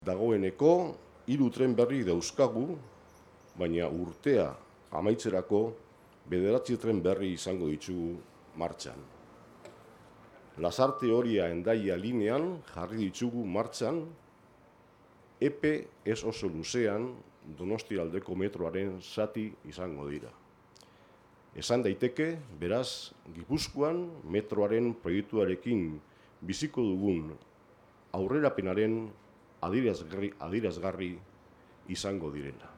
Dagoeneko 3 tren berri dauzkagu, baina urtea amaitzerako 9 tren berri izango ditugu martxan. Lasarte-Oria Hendaia linean jarri ditugu martxan, epe ez oso luzean Donostialdeko metroaren zati izango dira. Esan daiteke, beraz, Gipuzkoan metroaren proiektuarekin biziko dugun aurrerapenaren adierazgarri izango direla.